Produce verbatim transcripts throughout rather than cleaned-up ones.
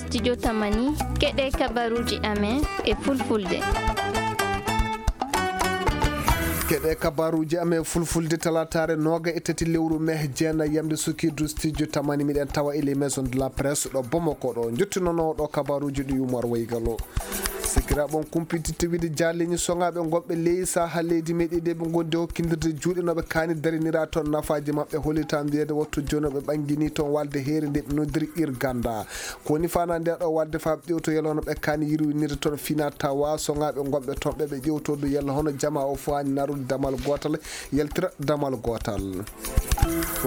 Studio Tamani, keɗe kabaruuji amen e fulfulde. Keɗe kabaruuji amen fulfulde talaataare nooga e tati lewru mee jeenayi yamde sukiidu Studio Tamani, miɗen tawa e les maisons de la presse ɗo Bamako ɗo. Njottinoowo ɗo kabaruuji ɗi Umar Waygalo. Sikiraaɓe on kumpititte wiide jaaleeñi soŋaaɓe gonɓe ley saha leydi meɗen nde ɓe ngondi e hokkindirde juuɗe no ɓe kaani darinira toon nafaaji maɓɓe, hollitaan wiyeede wattu jooni ɓe ɓanngini toon walde heere nde ɓe noddiri Irganda. Ko woni fana nde ɗo walde faa ɓe ƴewto yalla hono ɓe kaani yirwinirde toon fina tawa soŋaaɓe gonɓe toon ɓe ɓe ƴewto du yalla hono jamaa o fof haani narude damal gootal, yaltira damal gootal.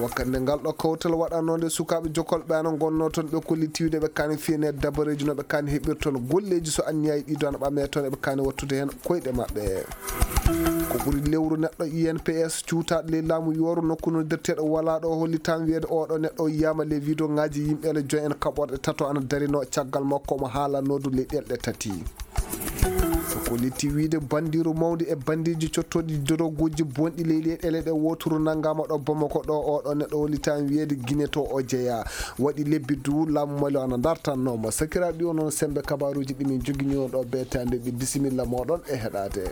Wakkati nde ngal ɗo kawtal waɗanoo nde, sukaaɓe jokolɓe ana ngonnoo toon, ɓe kolliti wiide ɓe kaani fiyene dabareeji no ɓe kaani heɓir toon golleeji so anniyaji ɗi doona ɓame toon eɓe kaani wattude heen koyɗe maɓɓe. Ko ɓuri lewru neɗɗo I N P S cuutaaɗo ley laamu yooru nokku noddirteeɗo Wala ɗo hollitaan wiyeede oo ɗo neɗɗo o yiyaama ley video ŋaaji yimɓe ele joyi en kaɓorɗe tato ana darinoo caggal makko omo haalanoo du ley ɗelɗe tati. Ko liti wiide bandiiru mawndi e bandiiji cottooɗi doroguuji bonɗi ley leyɗeele ɗe wooturu nanngaama ɗo Bamako ɗo, oo ɗo neɗɗo hollitaan wiyeede Gine to o jeyaa. Waɗi lebbi du laamu Mali o ana ndartannoo mo. Sakiraaɓe, ɗi o noon semmbe kabaaruuji ɗi min joginoo ɗo beetaande ɗi. Bisimilla mooɗon e heɗaade.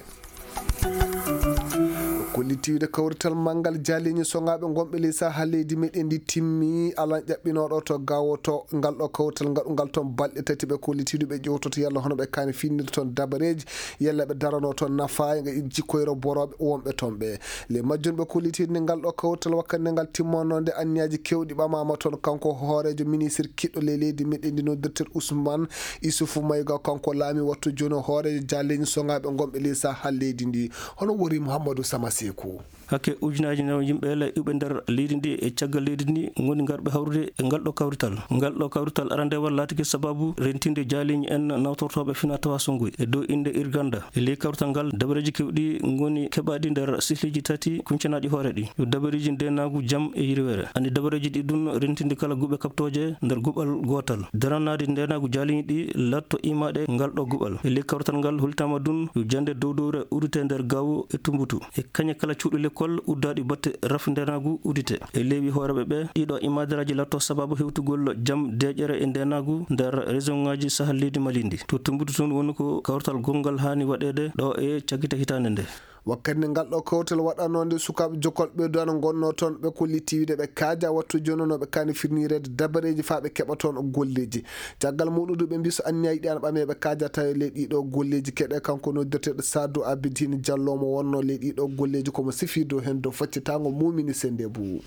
Ko liti wiide kawrital manngal jaaleeñi soŋaaɓe gonɓe ley saha leydi meɗen ndi timmi alan ƴaɓɓinooɗo to gawo to ngal ɗo kawrital ngaɗungal toon balɗe tati ɓe kollitiiɗo ɓe ƴewtoto yalla hono ɓe kaani finnirde toon dabareeji yalla ɓe daranoo toon nafa jikkoyro borooɓe wonɓe toon ɓe. Ley majjum ɓe kollitiiɗo nde ngal ɗo kawrital wakkati nde ngal timmoonoo nde anniyaaji keewɗi ɓamaama toon kanko hooreejo ministre kiɗɗo ley leydi meɗen ndi noddirtel Ousmane Issoufou Maïga kanko laami wattu jooni hooreejo jaaleeñi soŋaaɓe gonɓe ley saha leydi ndi. Hono wori Mouhamadou Sama Sekou. Hakke ujunaaji nawa yimɓe ele iwɓe nder leydi ndi e caggal leydi ndi ngoni ngarɓe hawrude e ngal ɗo kawrital. Ngal ɗo kawrital arandewal laatike sababu rentinde jaaliiñi en nawtortooɓe fina tawa songuy e dow innde Irganda. E ley kawrital ngal, dabareeji keewɗi ngoni keɓaaɗi nder sihleeji tati kuncanaaɗi hoore ɗi. Yo dabareeji ndeenaagu, jam e yirweere. Anndi dabareeji ɗi ɗun rentinde kala guɓe kaɓtooje nder guɓal gootal. Daranaade ndeenaagu jaaliiñi ɗi latto imaaɗe ngal ɗo guɓal. E ley kawrital ngal holtaama ɗun yo jannde dow dowre udite nder gawo e Tumbutu. E kañe kala cuuɗi lekkol uddaaɗi batte rafi ndeenaagu udite. E leewi hooreeɓe ɓe, ɗiɗo imaadaraaji latto sababu hewtugol jam, deeƴere e ndeenaagu nder région ŋaaji sahal leydi Mali ndi. To Tumbutu toon woni ko kawrital gonngal haani waɗeede ɗo e cakkite hitaande nde. Wakkati nde ngal ɗo kawtal waɗanoo nde, sukaaɓe jokolɓe duwana ngonnoo toon, ɓe kolliti wiide ɓe kaaja wattu jooni no ɓe kaani firnireede dabareeji faa ɓe keɓa toon golleeji. Caggal muɗum du ɓe mbii so anniyaji ɗi ana ɓamee ɓe kaaja tawi ley ɗiɗo golleeji keɗe kanko noddirteeɗo Sadou Abidine Diallo mo wonnoo ley ɗiɗo golleeji komo sifii dow heen dow faccitaango mumini sende bu.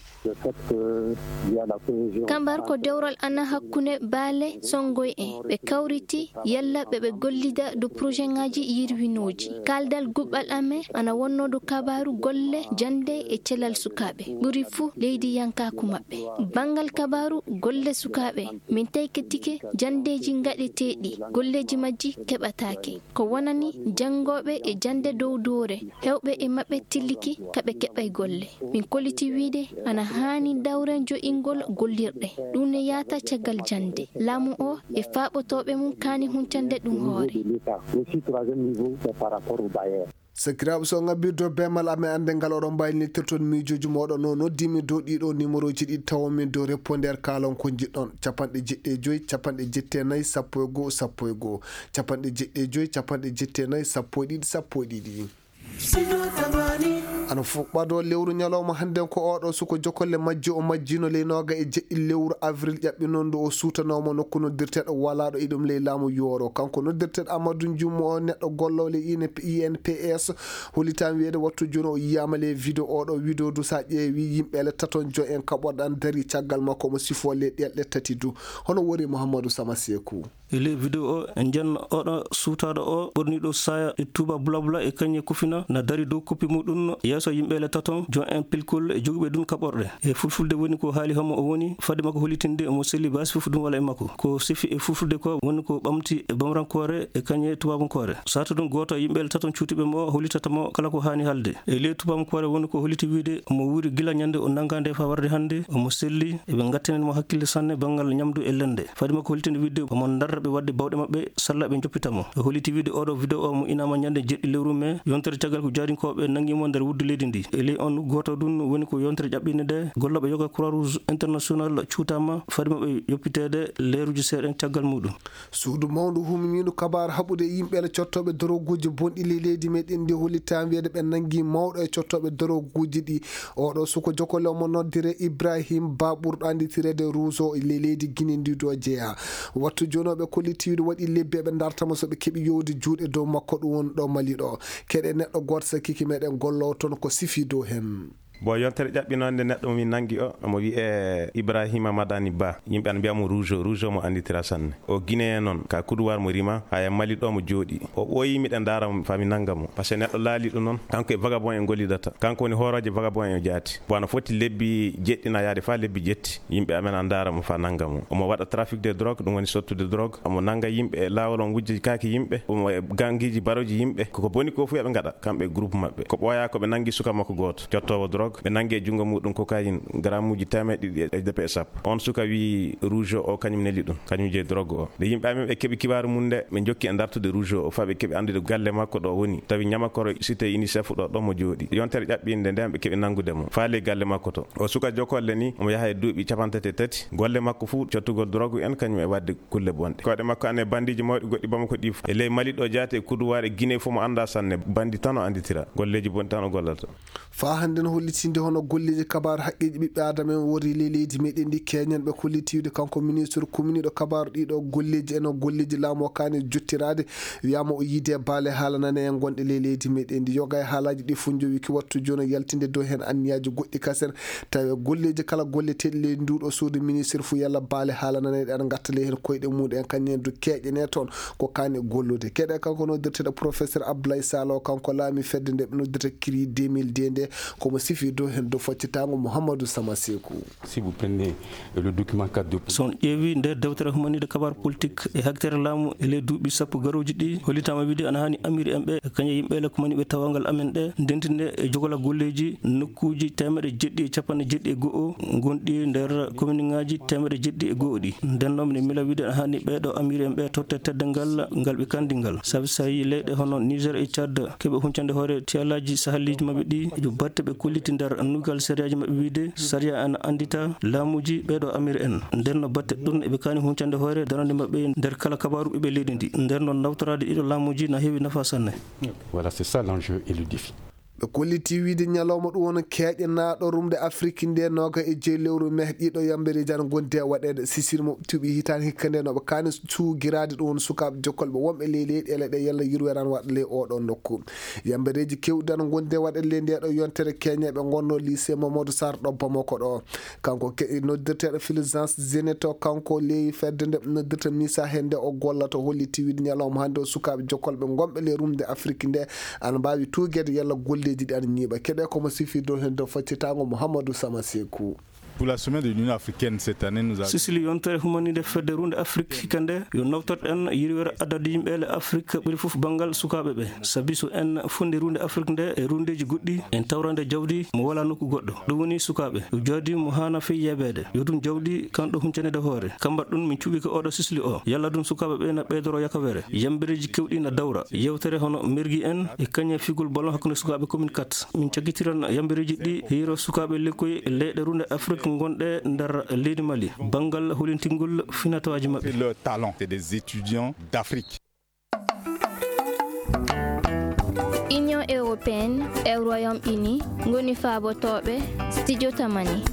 Kambar ko dewral ana hakkunde baale sonngoy en. Ɓe kawriti yalla ɓe ɓe gollida dow projet ŋaaji yirwinooji. Kaaldal guɓɓal amen ana wonnoo dow kabaaru golle jannde e cellal sukaaɓe. Ɓuri fuu leydi yankaaku maɓɓe. Banngal kabaaru golle sukaaɓe, min taykitike janndeeji ngaɗeteeɗi, golleeji majji keɓataake. Ko wonani janngooɓe e jannde dow doore, heewɓe e maɓɓe tilliki ka ɓe keɓay golle. Min kolliti wiide ana haani dawren jo'ingol gollirɗe. Ɗum ne yaata caggal jannde. Laamu o e faaɓotooɓe mum kaani huncande ɗum hoore. Sakiraaɓe, so ngabbirdo beemal amen annde ngal oɗon mbaylitirton miijooji mooɗon no noddimi dow ɗiɗo numéroji ɗi tawomin dow répondeur kaalon ko njiɗɗon. Capanɗe jeɗɗi e joyi, capanɗe jetti e nayi, sappo e goo, sappo e goo. Capanɗe jeɗɗi e joyi, capanɗe jetti e nayi, sappo e ɗiɗi, sappo e ɗiɗi. Ana fuɓɓadoo lewru ñalawma hannden ko oɗo suko jokolle majji o majjino ley nooga e jeɗɗi lewru avril ƴaɓɓinondu o suutanooma nokku noddirteeɗo walaaɗo e ɗum ley laamu yooro. Kanko noddirteeɗo Amadou Dioum o neɗɗo gollowo ley I N P S, hollitaan wiyeede wattu jooni o yiyaama ley video oɗo video du sa ƴeewi yimɓe ele taton joy en kaɓorɗe an dari caggal makko omo sifoo ley ɗelɗe tati du. Hono wori Mouhamadou Sama Sekou. E ley video o, en njiyan oɗo suutaaɗo o ɓorniiɗo saaya e tuuba bulabula e kañe kufina na dari dow koppi muɗum yeeso yimɓe ele taton, joon en pilkol e joguɓe ɗum kaɓorɗe. E fulfulde woni ko haali homo o woni, fade makko hollitinde mo selli baasi fof ɗum wala e makko. Ko sifi e fulfulde ko woni ko ɓamti e bamrankoore e kañe tubabankoore. Saatu ɗum gooto e yimɓe ele taton cuutiɓe mo hollitata mo kala ko haani haalde. E ley tubabankoore woni ko holliti wiide mo wuuri gila ñande o nanngaa nde faa warde hannde, omo selli, eɓe ngattinen mo hakkille sanne banngal ñamdu e lende. Fade makko hollitinde wiide omo ndar Ɓe waɗde bawɗe maɓɓe, salla ɓe njoppita mo. O holliti wiide oɗo video o mo inama ñande jeɗɗi lewru me, yontere caggal ko jaarinkooɓe nangi mo nder wuddu leydi ndi. E ley on gooto ɗum woni ko yontere ƴaɓɓinde nde, gollooɓe yoga Croix Rouge International cuutama fadi maɓɓe yoppiteede leeruji seeɗa caggal muɗum. Suudu mawndu huminiiɗo kabaar haɓude e yimɓe e cottooɓe doroguuji bonɗi ley leydi meɗen ndi hollitaa wiyeede ɓe nangi mawɗo e cottooɓe doroguuji ɗi. Oɗo suko jokkole omo noddire Ibrahim Ba ɓurɗo annditireede Rouge e ley leydi Guinée ndi ɗo jeyaa. Wattu jooni o ɓe kolliti wiide waɗi lebbi eɓe ndarta mo so ɓe keɓi yowde juuɗe dow makko ɗum woni ɗo Mali ɗo. Keɗe neɗɗo gooto sakkiike meɗen gollowo toon ko sifi dow heen. Bon, yontere ƴaɓɓinoonde neɗɗo mo min nangi o, omo wiyee Ibrahima Madani Ba. Yimɓe ana mbiya mo Rouge, Rouge mo annditira sanne. O Guinéen noon, ka Coudoir mo rima, haya Mali ɗo mo jooɗi. O ɓooyi miɗen ndaara mo faa mi nannga mo. Parce que neɗɗo laaliiɗo noon, kanko e vagabond en gollidata. Kanko woni hooroojo vagabond en o jaati. Bon, ana foti lebbi jeɗɗi na yaade faa lebbi jetti. Yimɓe amen ana ndaara mo faa nannga mo. Omo waɗa trafic de drogue, ɗum woni sottude drogue. Omo nannga yimɓe e laawol, omo wujja kaaki yimɓe. Omo e gangiiji barooji yimɓe. Koko boni ko fof eɓe ngaɗa, kamɓe e groupe maɓɓe. Ko ɓooyaa ko ɓe nanngi suka makko gooto, cottoowo drogue. Ɓe nanngi e junngo muɗum cocaïne, garamuuji teemeɗe ɗiɗi e, e sappo. On suka wii Rouge o, kañum neli ɗum, kañum jeyi drogue o. Nde yimɓe amen ɓe keɓi kibaaru mum nde, ɓe njokki e dartude Rouge o, faa ɓe keɓi anndude galle makko ɗo woni. Tawi Ñamakoro cité UNICEF ɗo, ɗo mo jooɗi. Yontere ƴaɓɓinde nden ɓe keɓi nanngude mo. Faa ley galle makko to. O suka jokolle ni, omo yaha e duuɓi capanɗe tati e tati. Golle makko fuu, cottugol drogue en, kañum e waɗde kulle bonɗe. Koyɗe makko ana e bandiiji mawɗi goɗɗi Bamako ɗi fof. E ley Mali ɗo jaati e Coudoir e Guinée fof mo anndaa sanne. Bandi tan o annditira. Golleeji bonɗi tan o gollata. Faa hannde no hollitinde hono golleeji kabaaru haqqeeji ɓiɓɓe Aadama en wori ley leydi meɗen ndi keñen ɓe kolliti wiide kanko ministre kuminiiɗo kabaaru ɗiɗo golleeji en o golleeji laamu o kaani jottiraade wiyaama o yiide baale haala nane en gonɗe ley leydi meɗen ndi yoga e haalaaji ɗi fof njowi ki wattu jooni o yaltinde dow heen anniyaaji goɗɗi kasen tawi golleeji kala golleteeɗi ley nduuɗo suudu ministre fof yalla baale haala nane ɗe ana ngatta ley heen koyɗe muɗum en kañum en du keeƴene toon ko kaani gollude keɗe kanko noddirteeɗo professeur Abdoulaye Salo kanko laami fedde nde ɓe noddirta kiri deux mille deux nde komo sifi dow heen dow faccitaango Mouhamadou Sama Sekou. Si vous prenez le document quatre de so on ƴeewi nder dewtere humaniiɗo kabaar politique e haktere laamu e ley duuɓi sappo garooji ɗi hollitaama wiide ana haani amiri en ɓe e kañe yimɓe le kumani ɓe tawangal amen ɗe ndentinde e jogola golleeji nokkuuji teemeɗe jeɗɗi e capanɗe jeɗɗi e go'o gonɗi nder kominiŋaaji teemeɗe jeɗɗi e go'o ɗi nden noon mine mila wiide ana haani ɓee ɗo amiri en ɓe totte tedde ngal ngal ɓe kandi ngal sabi so tawi leyɗe hono Niger e Tchad keɓe huncande hoore tiyalaaji sahaliiji maɓɓe ɗi yo batte ɓe kolliti nder nugal sariyaaji maɓɓe wiide sariya ana anndita laamuuji ɓee ɗo amiri en nden no batte ɗum eɓe kaani huncande hoore darande maɓɓe nder kala kabaaru ɓiɓɓe leydi ndi nden noon nawtoraade ɗiɗo laamuuji na heewi nafa sanne. Voilà, c'est ça l'enjeu et le défi. Ɓe kolliti wiide ñalawma ɗum woni keeƴanaaɗo rumde Afrik nde nooga e jeyi lewru meh ɗiɗo yambereeji ana ngondi e waɗeede sisir mo tuuɓi hitaande hikka nde no ɓe kaani suugiraade ɗum woni sukaaɓe jokkolɓe wonɓe ley leyɗeele ɗe yalla yurweere ana waɗa ley oɗo nokku. Yambereeji keewɗi ana ngondi e waɗeede ley nde ɗo yontere keñeeɓe ngonno lycée Mamadou Sarr ɗo Bamako ɗo. Kanko ke noddirteeɗo Fulgence Zeneto kanko ley fedde nde noddirta misa heen nde o gollata holliti wiide ñalawma hannde o sukaaɓe jokkolɓe ngonɓe ley rumde Afrik nde ana mbaawi tuugeede yalla golleeji ɗi ana ñiiɓa keɗe komo sifi dow heen dow faccitaango Mouhamadou Sama Sekou. Pour la semaine de l'Union africaine cette année, nous avons Sisili yontere humaniinde fedde runde Afrik hikka nde yo nawtorɗen yirwere adadu yimɓe le Afrik ɓuri fof banngal sukaaɓe ɓe sabi so en fondi runde Afrik nde e rundeeji goɗɗi en tawrande jawdi mo wala nokku goɗɗo ɗum woni sukaaɓe yo jawdi mo haana fey yeebeede yo ɗum jawdi kanɗo huncanede hoore kambat ɗum min cuɓike oɗo sisli o yalla ɗum sukaaɓe ɓe na ɓeydoro yakawere yambereeji kewɗi na dawra yewtere hono mergi en e kañe figol ballon hakkunde sukaaɓe commune quatre min caggitiran yambereeji ɗi hiiro sukaaɓe lekkoy leyɗe runde Afrik gonɗe nder leydi Mali banngal holintingol finatawaaji maɓɓe. C'est leur talent, c'est des étudiants d'Afrique. Union européenne e Royaume-Uni ngoni faabotooɓe studio Tamani.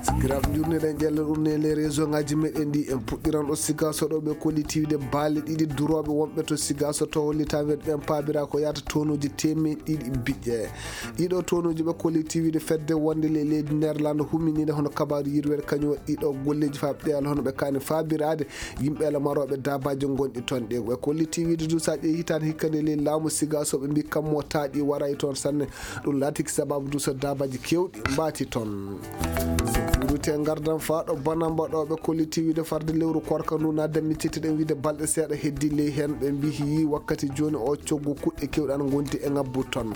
Sikiraaɓe njurniɗen ƴelle ɗum ne les réseau ngaji meɗen ɗi en puɗɗiran ɗo Sigaso ɗo ɓe kollitiwde baale ɗiɗi durooɓe wonɓe to Sigaso to hollitaɓe ɓen paabira ko yata tonuji temeɗɗe ɗiɗi biƴƴe. Ɗiɗo tonuji ɓe kollitiwde fedde wonde le leydi Nerlande humminide hono kabaru yirwere kañum waɗi ɗiɗo golleji faaɓe ɗeyal hono ɓe kani faabirade yimɓe lamaroɓe dabaji gonɗi toon ɗi ɓe kolliti wiide du sa ƴeewi hitande hikka nde ley laamu Sigaso ɓe mbi kammo taaƴi waray toon sanne. Ɗum laatiki sababu du so dabaji kewɗi mbaati toon. Te ngardan faa ɗo banamba ɗo ɓe kolliti wiide farde lewru korka ndu na dammitite ɗen wiide balɗe seeɗa heddi ley heen. Ɓe mbihi wakkati jooni o coggu kuɗɗe keewɗe ana ngondi e ŋabbu ton.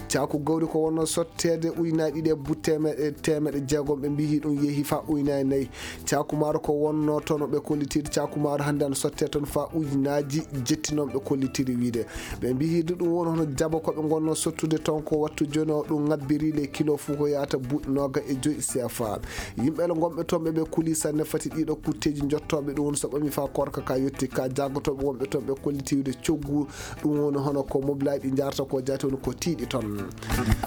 Caaku gawri ko wonno sotteede ujunaaji ɗiɗi e bu-, teemeɗe, teemeɗe jeegom, ɓe mbihi ɗum yehi faa ujunaaji nayi. Caaku maaro ko wonno toon ɓe kollitiiɗo caaku maaro hannde ana sottee toon faa ujunaaji jetti noon ɓe kollitiri wiide. Ɓe mbihi du ɗum woni hono jaba ko ɓe ngonno sottude toon ko wattu jooni o ɗum ŋabbiri le kilo fuu ko yahata buuɗi nooga e joyi C F A. Yimɓe le ngonɓe toon ɓe ɓe kuli sanne fati ɗiɗo kutteeji jottooɓe ɗum woni so ɓami faa korka ka yotti ka jaagotooɓe wonɓe toon ɓe kolliti wiide coggu ɗum woni hono ko mobilaaji ɗi njaarata ko jaati woni ko tiiɗi toon.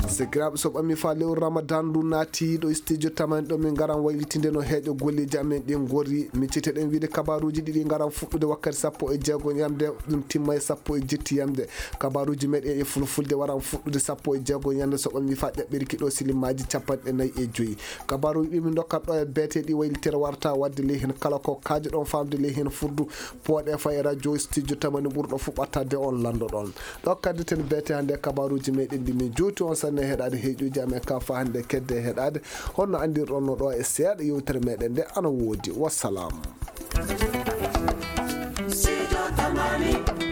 Sikiraaɓe so ɓami faa lewru Ramadan ndu naati ɗo studio tamani ɗo min ngaran waylitinde no heeƴo golleeji amen ɗin ngori. Mi cite ɗen wiide kabaruuji ɗiɗi ngaran fuɗɗude wakkati sappo e jeego yamde ɗum timma e sappo e jetti yamde. Kabaruuji meɗen e fulfulde waran fuɗɗude sappo e jeego yamde so ɓami faa ɗaɓɓirki ɗo silimaaji capanɗe nayi e joyi. Kabaruuji ɗi min ndokkat ɗo e beete ɗi waylitere warta wadde ley heen kala ko kaajo ɗon faamde ley heen furdu pooɗe faa e radio studio tamani ɓurɗo fuu ɓattade on lanndo ɗon. Ɗo kaddi ten beete hannde kabaruuji meɗen ɗi min juuti on sanne heɗaade heeƴuuji amen ka faa hannde kedde heɗaade honno anndirɗon no ɗo e seeɗa yewtere meɗen nde ana woodi. Wassalam. Sijo Tamani.